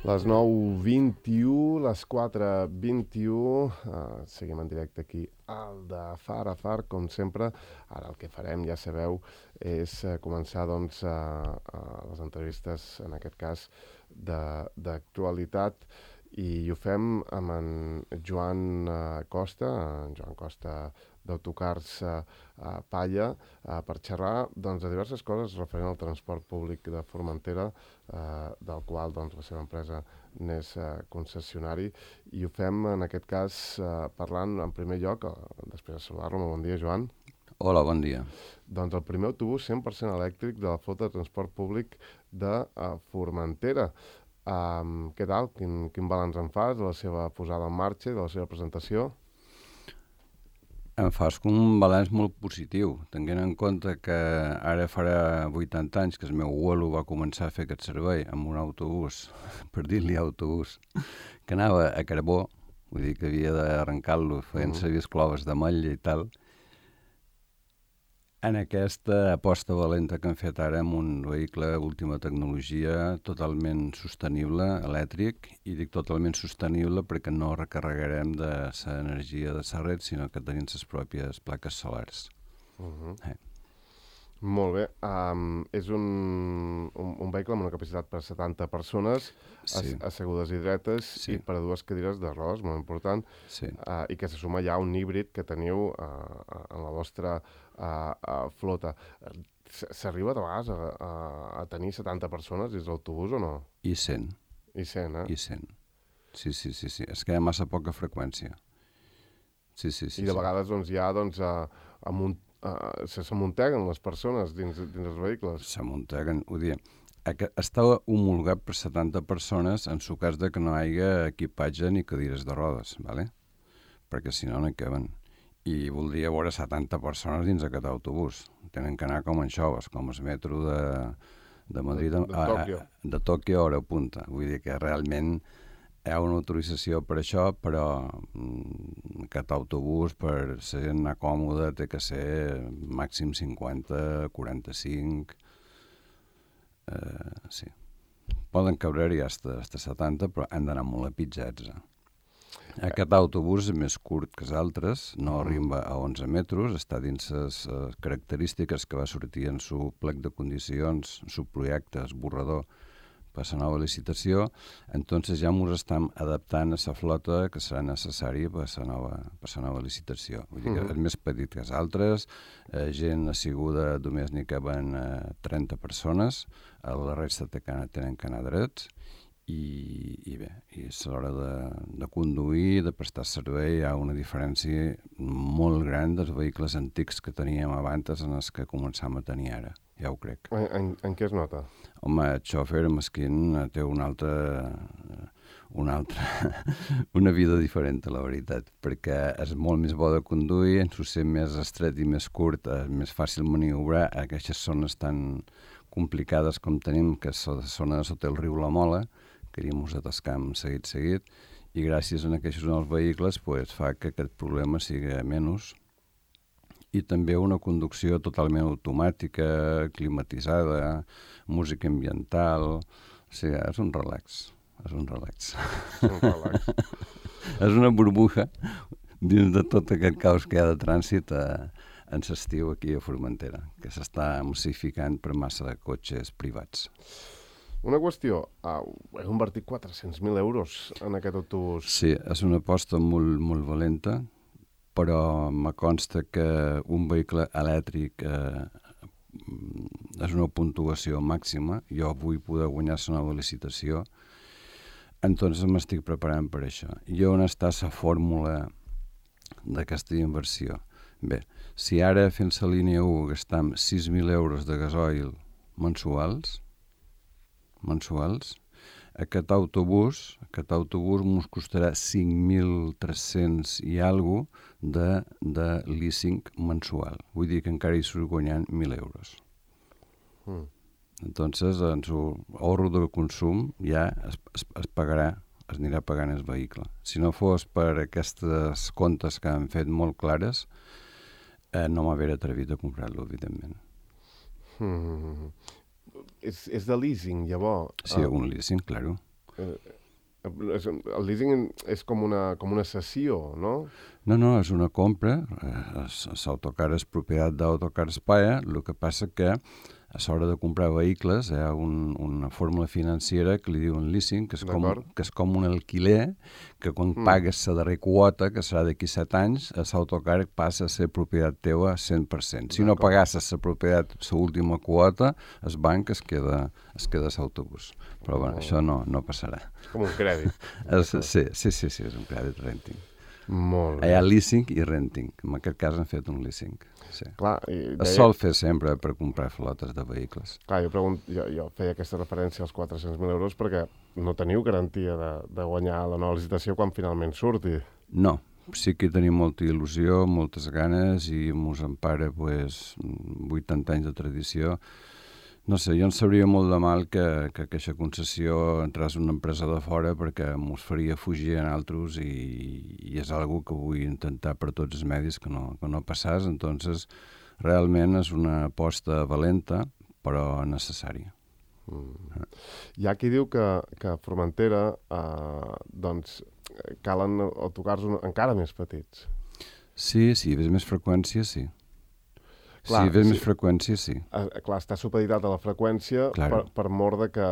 Les 9:21, les 4:21, seguim en directe aquí al de Far a Far, com sempre. Ara el que farem, ja sabeu, és començar doncs, les entrevistes, en aquest cas, d'actualitat, i ho fem amb en Joan Costa, d'Autocars Palla, per xerrar doncs, de diverses coses referent al transport públic de Formentera, del qual doncs, la seva empresa n'és concessionari, i ho fem en aquest cas parlant en primer lloc, després de saludar-lo. Molt bon dia, Joan. Hola, bon dia. Doncs el primer autobús 100% elèctric de la flota de transport públic de Formentera. Què tal? Quin balanç en fas de la seva posada en marxa, de la seva presentació? Em fas un balanç molt positiu, tenint en compte que ara farà 80 anys que el meu abuelo va començar a fer aquest servei amb un autobús, per dir-li autobús, que anava a carbó, vull dir que havia d'arrencar-lo fent servir cloves de motlla i tal. En aquesta aposta valenta que han fet ara amb un vehicle d'última tecnologia totalment sostenible, elèctric, i dic totalment sostenible perquè no recarregarem de l'energia de la red, sinó que tenim les pròpies plaques solars. Molt bé. És un vehicle amb una capacitat per 70 persones, Sí. assegudes i dretes, Sí. i per a dues cadires de rodes, molt important, Sí. i que se suma ja a un híbrid que teniu en la vostra flota. S'arriba de vegades a tenir 70 persones dins l'autobús o no? I 100. I 100, eh? I 100. Sí. És que hi ha massa poca freqüència. Sí. I de vegades doncs, ja doncs, s'amunteguen les persones dins els vehicles. S'amunteguen, ho diem. Està homologat per 70 persones en su cas de que no hi hagi equipatge ni cadires de rodes, ¿vale? Perquè si no, no hi caben. I voldria veure 70 persones dins aquest autobús. Tenen que anar com en xoves, com el metro de Madrid, de Tòquio a hora punta. Vull dir que realment hi ha una autorització per això, però aquest autobús, per la gent anar còmode, té que ser màxim 50, 45... sí. Poden cabre-hi hasta 70, però han d'anar molt apitjats. Aquest autobús és més curt que els altres, no arriba a 11 metres, està dins les característiques que va sortir en su plec de condicions, en su projecte, esborrador, per la nova licitació. Entonces ja ens estem adaptant a la flota que serà necessària per la nova licitació. Vull dir que és més petit que els altres, gent asseguda només n'hi caben 30 persones, la resta tenen que anar drets, i bé, i a l'hora de conduir, de prestar servei, hi ha una diferència molt gran dels vehicles antics que teníem abans en els que començam a tenir ara, ja ho crec. En què es nota? Home, el xòfer mesquin té una vida diferent, la veritat, perquè és molt més bo de conduir, en ser més estret i més curt, és més fàcil maniobrar a aquestes zones tan complicades com tenim, que és la zona de sota el riu La Mola, que ens atascam seguit, i gràcies a aquests nous vehicles fa que aquest problema sigui menys, i també una conducció totalment automàtica, climatitzada, música ambiental, o sigui, és un relax. És una burbuja dins de tot aquest caos que hi ha de trànsit en l'estiu aquí a Formentera, que s'està massificant per massa de cotxes privats. Una qüestió, heu invertit 400.000 euros en aquest autobús. Sí, és una aposta molt, molt valenta, però me consta que un vehicle elèctric és una puntuació màxima. Jo vull poder guanyar la nova licitació, entonces m'estic preparant per això. I on està la fórmula d'aquesta inversió? Bé, si ara fent la línia 1 gastam 6.000 euros de gasoil mensuals, aquest autobús ens costarà 5.300 i alguna de leasing mensual. Vull dir que encara hi surt guanyant 1.000 euros. Entonces, en su ahorro de consum ja es pagarà, es anirà pagant el vehicle. Si no fos per aquestes comptes que han fet molt clares, no m'haver atrevit a comprar-lo, evidentment. És de leasing, llavors? Sí, un leasing, claro. El leasing és com una cessió, no? No, és una compra. L'autocar és propietat d'Autocar España. El que passa que a l'hora de comprar vehicles hi ha una fórmula financera que li diuen leasing, que és com un alquiler, que quan pagues la darrera quota, que serà d'aquí 7 anys, l'autocar passa a ser propietat teva 100%. Si no pagasses la propietat, l'última quota, el banc es queda l'autobús. Però bueno, això no passarà. És com un crèdit. Sí, és un crèdit renting. Molt bé. Hi ha leasing i renting. En aquest cas han fet un leasing. Sí. Clar, es sol fer sempre per comprar flotes de vehicles. Clar, jo feia aquesta referència als 400.000 euros perquè no teniu garantia de guanyar la nova licitació quan finalment surti. No, sí que tenim molta il·lusió, moltes ganes i mos empara 80 anys de tradició. No sé, jo en sabria molt de mal que aquesta concessió entrés una empresa de fora perquè mos faria fugir en altres i és algo que vull intentar per tots els medis que no passàs. Entonces, realment és una aposta valenta, però necessària. Hi ha qui diu que a Formentera doncs, calen autocars encara més petits. Sí, ves més freqüència, sí. Clar, si ves més freqüència, sí. Clar, està supeditat a la freqüència per mort de que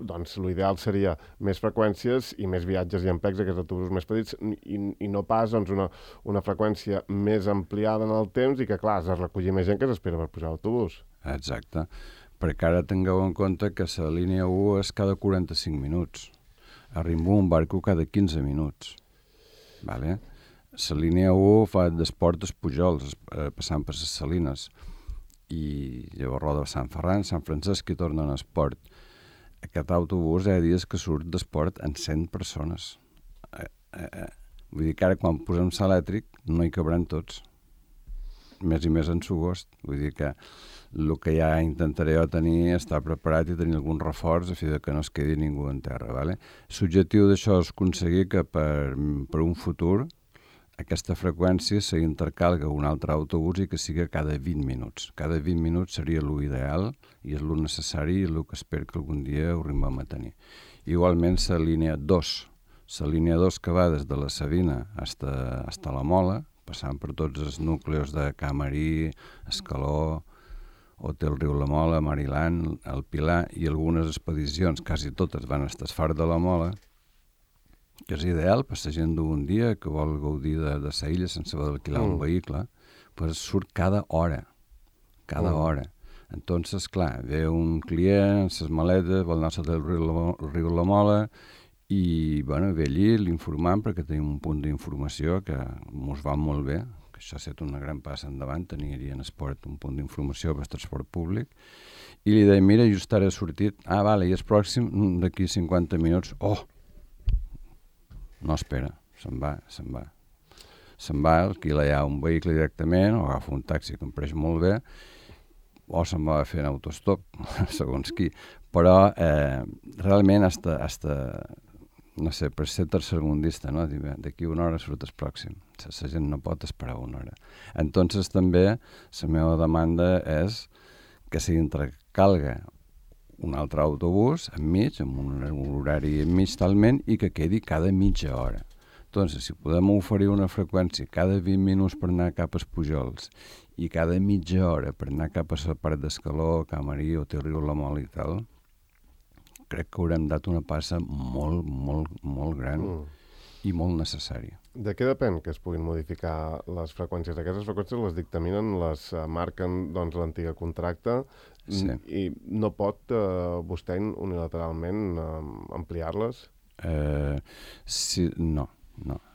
doncs, l'ideal seria més freqüències i més viatges i ampecs aquests autobusos més petits i no pas doncs, una freqüència més ampliada en el temps i que, clar, has de recollir més gent que s'espera per pujar a l'autobús. Exacte. Perquè ara tingueu en compte que la línia 1 és cada 45 minuts. A Rimbú un barco cada 15 minuts. Vale? La línia 1 fa d'Esport dels Pujols, passant per les Salines, i llavors roda Sant Ferran, Sant Francesc i torna a Esport. Aquest autobús hi ha dies que surt d'Esport en 100 persones. Vull dir que ara quan posem l'elèctric no hi cabran tots. Més i més en Sogost. Vull dir que el que ja intentaré jo tenir estar preparat i tenir algun reforç a fi de que no es quedi ningú en terra. Vale? L'objectiu d'això és aconseguir que per un futur aquesta freqüència s'intercalga un altre autobús i que sigui cada 20 minuts. Cada 20 minuts seria l'ideal i és el necessari i el que espero que algun dia ho arribem a tenir. Igualment, la línia 2. La línia 2 que va des de la Sabina fins a la Mola, passant per tots els núcleos de Camarí, Escaló, Hotel Riu La Mola, Mariland, el Pilar i algunes expedicions, quasi totes van estar al Far de la Mola, que és ideal per la gent d'un dia que vol gaudir de la illa sense haver d'alquilar un vehicle, pues surt cada hora. Hora. Entonces, clar, ve un client amb les maletes, vol anar al riu La Mola i, bueno, ve allí, l'informant perquè tenim un punt d'informació que ens va molt bé, que això ha estat una gran passa endavant, tenir en Esport un punt d'informació per transport públic, i li deia, mira, just ara he sortit, vale, i és pròxim, d'aquí 50 minuts, no espera, se'n va. Se'n va, alquila ja un vehicle directament, o agafa un taxi que em pareix molt bé, o se'n va fer en autostop, segons qui. Però realment hasta no sé, per ser tercermundista, no? D'aquí una hora surt el pròxim. La gent no pot esperar una hora. Entonces també la meva demanda és que s'intercalga un altre autobús enmig, amb un horari enmig talment, i que quedi cada mitja hora. Entonces, si podem oferir una freqüència cada 20 minuts per anar cap als Pujols i cada mitja hora per anar cap a la part d'Escaló, Camarí, Hotel Riu La Mola i tal, crec que haurem dat una passa molt, molt, molt gran i molt necessària. De què depèn que es puguin modificar les freqüències? Aquestes freqüències les dictaminen, les marquen doncs, l'antiga contracte i no pot vostè unilateralment ampliar-les? Sí, no.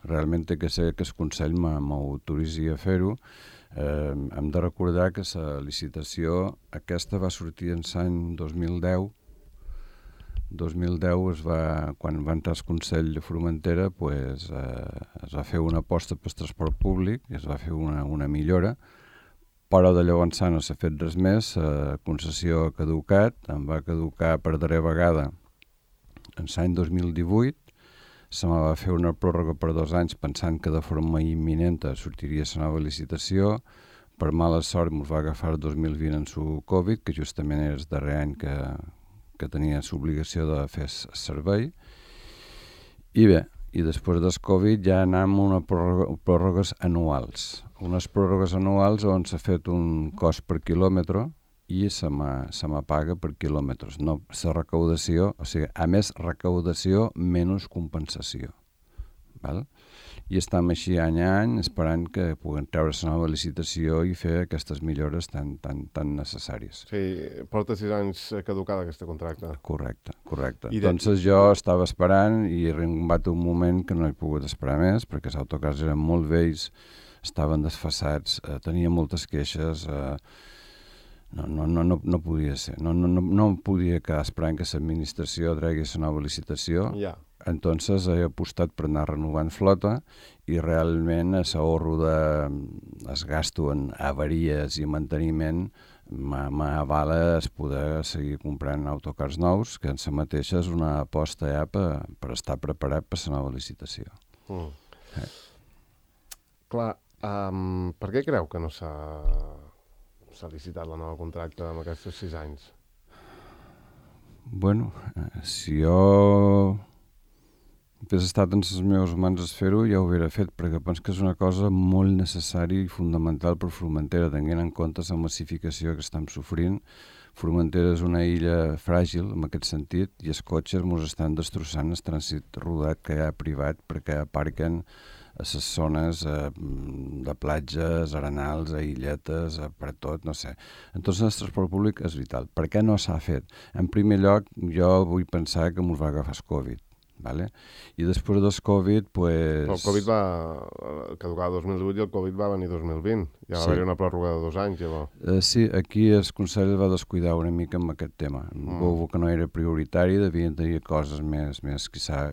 Realment té que ser que el Consell m'autoritzi a fer-ho. Hem de recordar que la licitació aquesta va sortir en l'any 2010. 2010 quan va entrar el Consell de Formentera, es va fer una aposta pel transport públic i es va fer una millora, però de llavors no s'ha fet res més. La concessió ha caducat, em va caducar per darrera vegada en l'any 2018, se me va fer una pròrroga per 2 anys pensant que de forma imminent sortiria la nova licitació. Per mala sort ens va agafar el 2020 en su Covid, que justament era el darrer any que que tenia l'obligació de fer servei. I bé, i després del Covid ja anem a unes pròrrogues anuals. Unes pròrrogues anuals on s'ha fet un cost per quilòmetre i se me paga per quilòmetres. No, la recaudació, o sigui, a més recaudació, menys compensació. Val? I estem així any a any esperant que puguem treure la nova licitació i fer aquestes millores tan necessàries. Sí, porta 6 anys caducada aquest contracte. Correcte. Entonces jo estava esperant i he arribat un moment que no he pogut esperar més perquè els autocars eren molt vells, estaven desfasats, tenia moltes queixes, no podia ser. No podia quedar esperant que l'administració tregui la nova licitació. Ja. Entonces he apostat per anar renovant flota i realment l'ahorro es gasto en avaries i manteniment m'avala poder seguir comprant autocars nous, que en si mateixa és una aposta ja per estar preparat per la nova licitació. Clar, per què creu que no s'ha licitat la nova contracte amb aquests 6 anys? Bueno, si jo hagués estat en les meves mans fer-ho, ja ho hauria fet, perquè penso que és una cosa molt necessària i fundamental per Formentera, tenint en compte la massificació que estem sofrint. Formentera és una illa fràgil, en aquest sentit, i els cotxes ens estan destrossant el trànsit rodat que hi ha privat perquè aparquen a les zones de platges, arenals, a illetes, per tot, no sé. Entonces el transport públic és vital. Per què no s'ha fet? En primer lloc, jo vull pensar que ens va agafar el Covid. Vale? I després del Covid, pues... El Covid va caducar el 2018 i el Covid va venir 2020. Ja va haver-hi una pròrroga de 2 anys, llavors. Sí, aquí el Consell va descuidar una mica amb aquest tema. Veu que no era prioritari, devien tenir coses més quizà,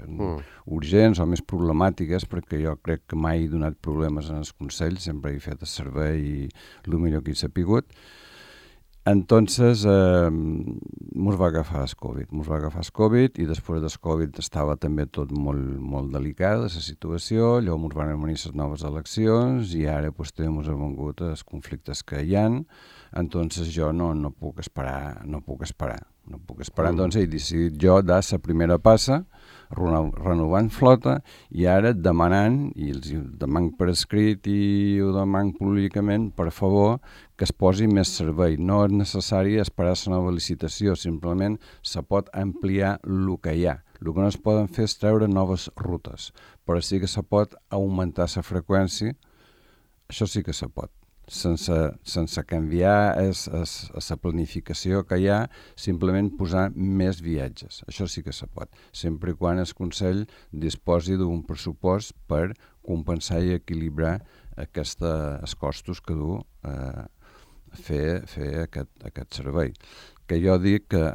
urgents o més problemàtiques, perquè jo crec que mai he donat problemes en el Consell, sempre he fet el servei i el millor que he sapigut. Entonces, ens va agafar el Covid i després del Covid estava també tot molt delicat, la situació, llavors ens van venir les noves eleccions i ara pues, també ens han vengut els conflictes que hi ha. Entonces jo no puc esperar. Entonces he decidit jo dar la primera passa, renovant flota i ara demanant, i els demanant per escrit i ho demanant públicament, per favor, que es posi més servei. No és necessari esperar la nova licitació, simplement se pot ampliar el que hi ha. El que no es poden fer és treure noves rutes, però sí que se pot augmentar la freqüència, això sí que se pot. Sense canviar la planificació que hi ha, simplement posar més viatges. Això sí que se pot, sempre i quan el Consell disposi d'un pressupost per compensar i equilibrar els costos que du fer aquest servei. Que jo dic que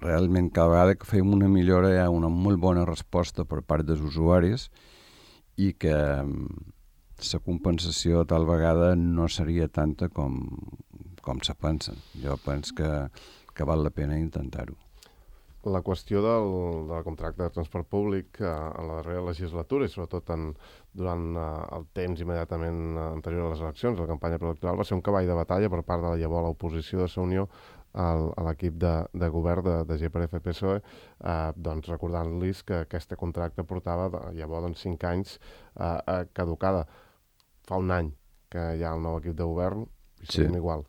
realment cada vegada que fem una millora hi ha una molt bona resposta per part dels usuaris i que la compensació tal vegada no seria tanta com se pensen. Jo penso que val la pena intentar-ho. La qüestió del contracte de transport públic en la darrera legislatura i sobretot durant el temps immediatament anterior a les eleccions, la campanya preelectoral, va ser un cavall de batalla per part de la llavors l'oposició de la Unió a l'equip de govern de GPF-PSOE, doncs recordant-los que aquest contracte portava llavors 5 anys caducada. Fa un any que hi ha el nou equip de govern i seguim igual.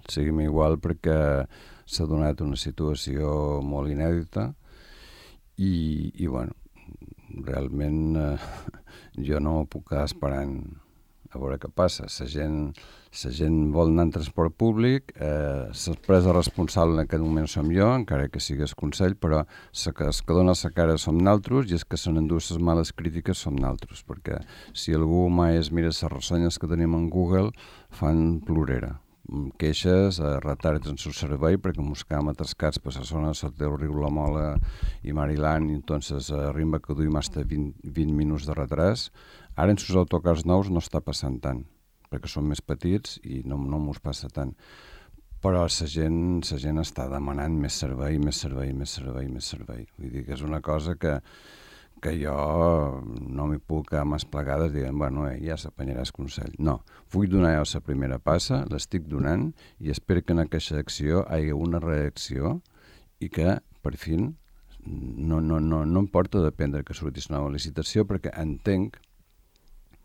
Seguim igual perquè s'ha donat una situació molt inèdita i bueno, realment jo no puc quedar esperant a veure què passa. La gent vol anar en transport públic, l'empresa responsable en aquest moment som jo, encara que sigui el Consell, però els que dona la cara som naltros i els que se n'endú les males crítiques som naltros, perquè si algú mai es mira les ressenyes que tenim en Google, fan plorera. Queixes, retards en el servei, perquè ens quedam atascats per la zona de Soteu, Riu La Mola i Maryland, i entonces arriba que duim fins a 20 minuts de retras. Ara en els autocars nous no està passant tant, perquè són més petits i no mos passa tant. Però la gent està demanant més servei. Vull dir que és una cosa que jo no m'hi puc quedar més plegades dient, bueno, ja s'apanyaràs Consell. No, vull donar jo la primera passa, l'estic donant i espero que en aquesta acció hi hagi una reacció i que, per fi, no em porta a dependre que sortís una nova licitació, perquè entenc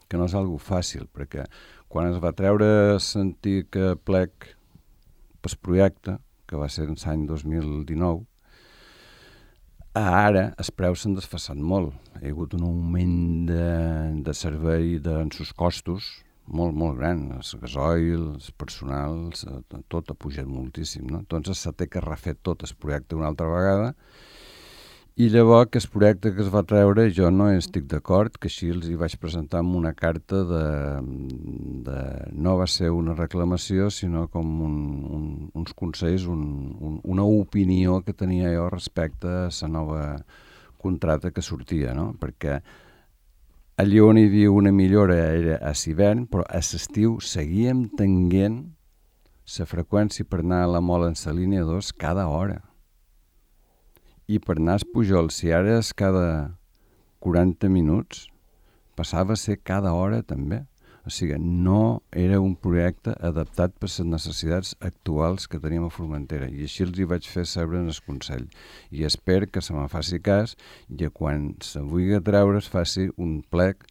que no és algo fàcil, perquè quan es va treure sentir que plec pel projecte, que va ser l'any 2019, ara els preus s'han desfassat molt. Hi ha hagut un augment de servei en sus costos molt, molt gran. El gasoil, els personals, tot ha pujat moltíssim, no? Doncs s'ha de que refer tot el projecte una altra vegada. I llavors que el projecte que es va treure jo no estic d'acord, que així els hi vaig presentar amb una carta no va ser una reclamació, sinó com uns consells, una opinió que tenia jo respecte a la nova contracte que sortia, no? Perquè allà on hi havia una millora era a l'hivern, però a l'estiu seguíem tenint la freqüència per anar a la Mola en la línia 2 cada hora. I per anar a Pujol, si ara és cada 40 minuts, passava a ser cada hora també. O sigui, no era un projecte adaptat per les necessitats actuals que teníem a Formentera. I així els hi vaig fer saber en el Consell. I espero que se me'n faci cas i quan se vulgui treure es faci un plec,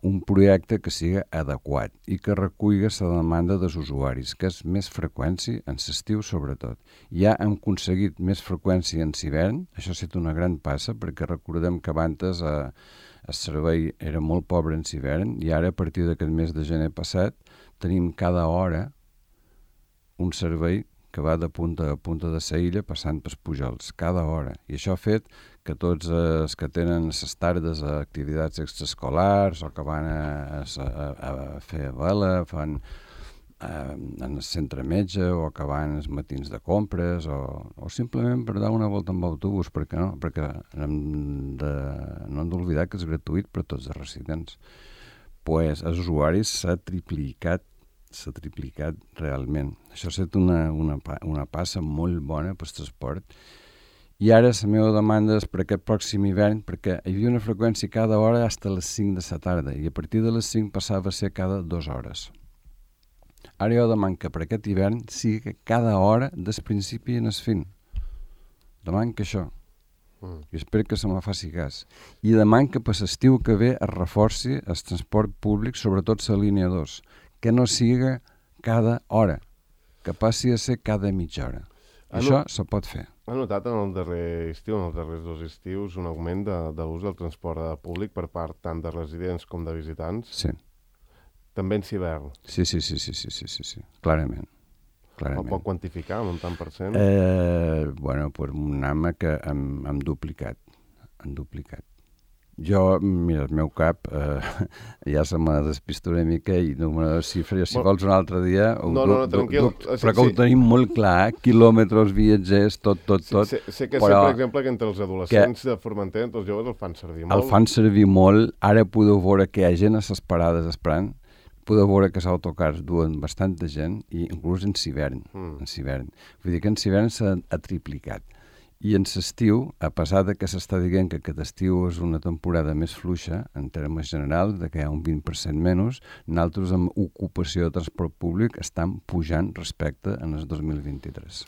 un projecte que sigui adequat i que reculli la demanda dels usuaris, que és més freqüència en l'estiu sobretot. Ja hem aconseguit més freqüència en l'hivern, això ha estat una gran passa, perquè recordem que abans el servei era molt pobre en l'hivern i ara a partir d'aquest mes de gener passat tenim cada hora un servei que va de punta a punta de la illa passant pels Pujols, cada hora. I això ha fet que tots els que tenen les tardes a activitats extraescolars o que van a fer vela, fan en el centre metge o que van els matins de compres o simplement per dar una volta amb autobús, perquè no? Perquè no hem d'oblidar que és gratuït per a tots els residents. Pues els usuaris s'ha triplicat realment. Això ha estat una passa molt bona pel transport. I ara la meva demanda és per aquest pròxim hivern, perquè hi havia una freqüència cada hora fins a les 5 de la tarda i a partir de les 5 passava a ser cada 2 hores. Ara jo demano que per aquest hivern sigui cada hora des principi en el fin. Demano que això. I espero que se me faci cas. I demano que per l'estiu que ve es reforci el transport públic, sobretot la línia 2, que no siga cada hora, que passi a ser cada mitja hora. Això se pot fer. Ha notat en el darrer estiu, en els darrers 2 estius, un augment de l'ús del transport públic per part tant de residents com de visitants? Sí. També en hivern? Sí, clarament. Ho pot quantificar en un tant per cent? Bueno, pues un home que hem duplicat. Jo, mira, el meu cap ja se m'ha despistat una mica i número de xifres, si vols un altre dia tranquil. Però que ho tenim molt clar, quilòmetres, viatgers, tot. Sé que, per exemple, que entre els adolescents de Formentera, entre els joves el fan servir molt. El fan servir molt, ara podeu veure que hi ha gent a les parades esperant, podeu veure que els autocars duen bastanta gent, i inclús en hivern. Vull dir que en hivern s'ha triplicat. I en l'estiu, a pesar de que s'està dient que aquest estiu és una temporada més fluixa, en termes generals, de que hi ha un 20% menys, nosaltres amb ocupació de transport públic estan pujant respecte en el 2023.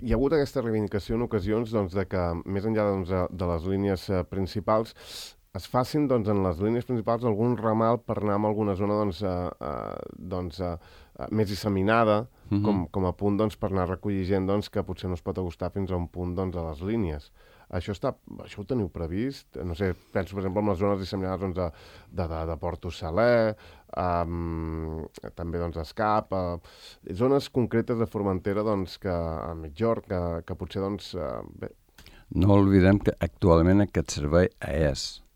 Hi ha hagut aquesta reivindicació en ocasions de que, més enllà de les línies principals, es facin en les línies principals algun ramal per anar a alguna zona més disseminada, com a punt per anar a recollir gent que potser no es pot acostar fins a un punt a les línies. Això ho teniu previst? No sé, penso, per exemple, en les zones disseminades de Porto Saler, també Escap, zones concretes de Formentera que a Migjorn, que potser bé. No oblidem que actualment aquest servei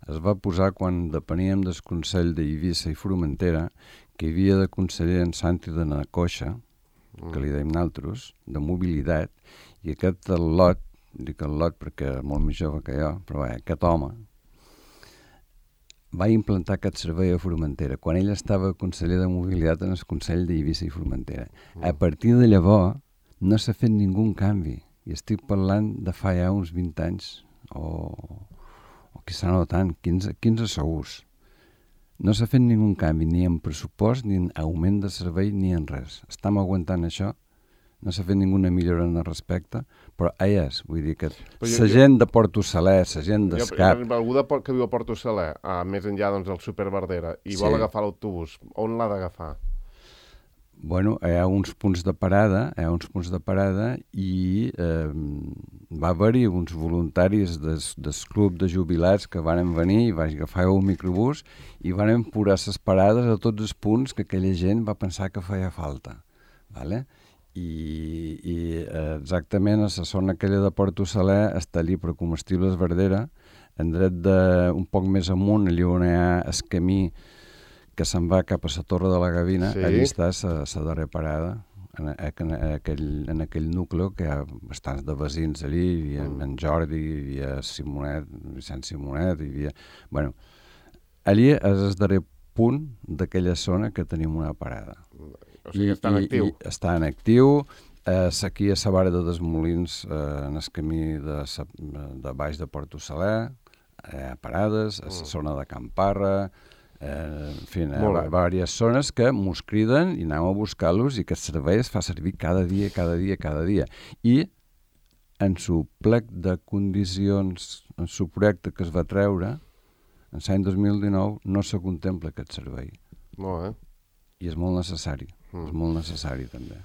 es va posar quan depeníem del Consell d'Eivissa i Formentera, que hi havia de conseller en Santi de Nacoixa, que li dèiem nosaltres, de mobilitat, i aquest lot, dic el lot perquè és molt més jove que jo, però aquest home va implantar aquest servei a Formentera quan ell estava conseller de mobilitat en el Consell d'Eivissa i Formentera. A partir de llavors no s'ha fet ningú canvi, i estic parlant de fa ja uns 20 anys, o quizà no tant, 15 segurs. No s'ha fet ningú canvi, ni en pressupost, ni en augment de servei, ni en res. Estem aguantant això no s'ha fet ninguna millora en el respecte, però és, vull dir que la gent de Porto Saler, la gent d'Escap... Algú que viu a Porto Saler, més enllà doncs, del Super Verdera, i vol agafar l'autobús, on l'ha d'agafar? Bueno, hi ha uns punts de parada, i va haver-hi uns voluntaris del club de jubilats que van venir i van agafar un microbús i van posar les parades a tots els punts que aquella gent va pensar que feia falta. Vale? I exactament a la zona aquella de Porto Saler està allí per Comestibles Verdera, en dret un poc més amunt, allà on hi ha el camí que se'n va cap a la Torre de la Gavina, allà està la darrera parada, en aquell nucli que hi ha bastants de veïns allí, hi havia en Jordi, hi havia Simonet, Vicent Simonet, hi havia... Bueno, allí és el darrer punt d'aquella zona que tenim una parada. O sigui, està en actiu. Està en actiu. Aquí a la vara de Desmolins, en el camí de baix de Porto Saler, hi ha parades, a la zona de Camparra, en fi, hi ha diverses zones que mos criden i anem a buscar-los i que el servei es fa servir cada dia. I en su plec de condicions, en su projecte que es va treure, en l'any 2019 no se contempla aquest servei. Molt bé. I és molt necessari, és molt necessari també.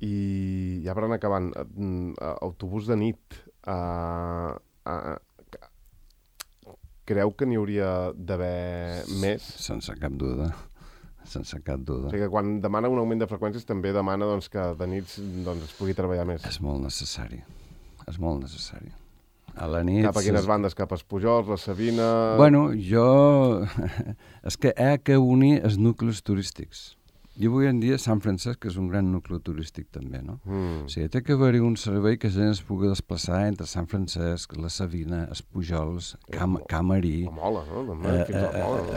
I ja per anar acabant, autobús de nit, creu que n'hi hauria d'haver més? Sense cap duda. O sigui que quan demana un augment de freqüències també demana doncs, que de nits doncs, es pugui treballar més. És molt necessari. A la nit... Cap a quines bandes? Cap a Pujols, la Sabina... Bueno, és que hi ha que unir els nuclis turístics. I avui en dia Sant Francesc és un gran nucli turístic també, no? O sigui, té que haver-hi un servei que la gent es pugui desplaçar entre Sant Francesc, la Sabina, els Pujols, Camarí... La Mola, no? També, fins a la Mola, no?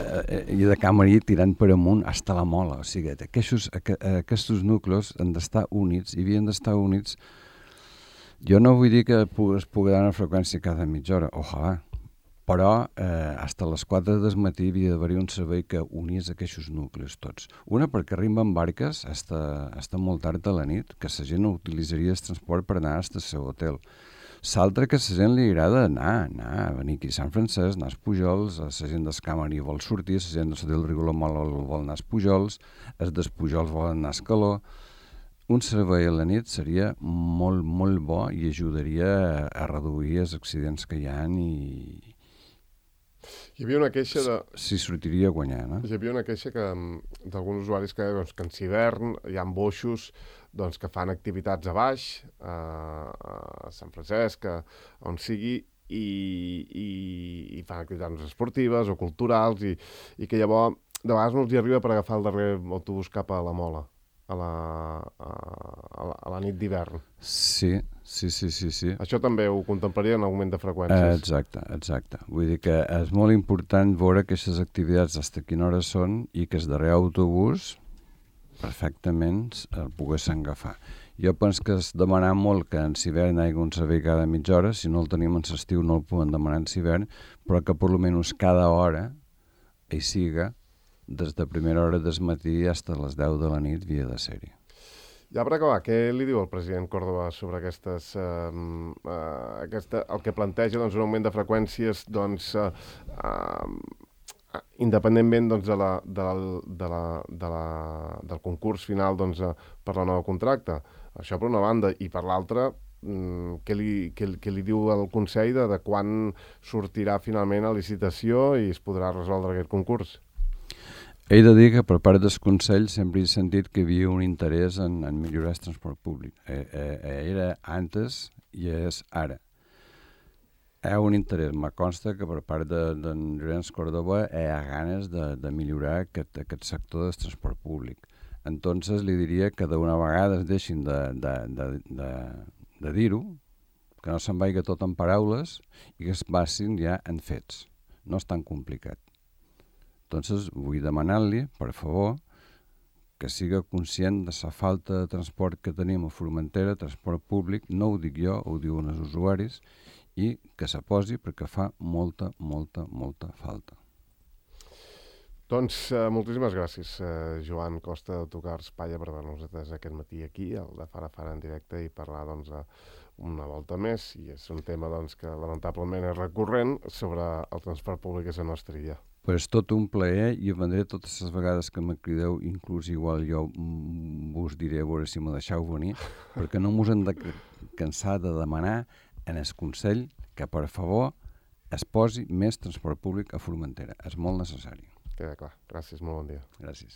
I de Camarí tirant per amunt fins a la Mola. O sigui, aquests nuclis han d'estar units, i havien d'estar units. Jo no vull dir que es pugui dar una freqüència cada mitja hora, ojalà, però fins a les 4 del matí havia d'haver un servei que unís aquests nuclis tots. Una, perquè arriben barques fins molt tard a la nit, que la gent utilitzaria el transport per anar al seu hotel. L'altra, que a la gent li agrada anar a venir aquí a Sant Francesc, anar als Pujols, la gent del Camarí vol sortir, la gent del Rigolomol vol anar als Pujols, els dels Pujols volen anar a Escaló. Un servei a la nit seria molt, molt bo i ajudaria a reduir els accidents que hi ha i... Hi havia una queixa de... Si sortiria a guanyar, no? Hi havia una queixa d'alguns usuaris que en hivern hi ha boixos que fan activitats a baix, a Sant Francesc, on sigui, i fan activitats esportives o culturals, i que llavors de vegades no els hi arriba per agafar el darrer autobús cap a la Mola, a la nit d'hivern. Sí. Això també ho contemplaria en augment de freqüències. Exacte. Vull dir que és molt important veure aquestes activitats fins a quina hora són i que el darrer autobús perfectament el poguessin agafar. Jo penso que és demanar molt que en hivern hi hagi un servei cada mitja hora. Si no el tenim en l'estiu no el podem demanar en hivern, però que per almenys cada hora hi siga, des de primera hora del matí fins a les 10 de la nit havia de ser-hi. Ja per acabar, què li diu el president Córdoba sobre aquestes... el que planteja un augment de freqüències independentment del concurs final per la nova contracte? Això per una banda. I per l'altra, què li diu el Consell de quan sortirà finalment a licitació i es podrà resoldre aquest concurs? He de dir que per part del Consell sempre he sentit que hi havia un interès en millorar el transport públic. Era antes i és ara. Hi ha un interès, me consta que per part d'en Llorenç Córdoba hi ha ganes de millorar aquest sector del transport públic. Entonces li diria que d'una vegada es deixin de dir-ho, que no se'n vagi tot en paraules i que es passin ja en fets. No és tan complicat. Entonces, vull demanar-li, per favor, que siga conscient de la falta de transport que tenim a Formentera, transport públic, no ho dic jo, ho diuen els usuaris, i que se posi perquè fa molta falta. Doncs moltíssimes gràcies, Joan Costa d'Autocars Palla, per donar-nos aquest matí aquí, el de Fara Fara en directe, i parlar una volta més, i és un tema que lamentablement és recurrent, sobre el transport públic a la nostra illa. Pues és tot un plaer, i vendré totes les vegades que me crideu, inclús igual jo vos diré a veure si me deixeu venir, perquè no mos hem de cansar de demanar en el Consell que, per favor, es posi més transport públic a Formentera. És molt necessari. Queda clar. Gràcies, molt bon dia. Gràcies.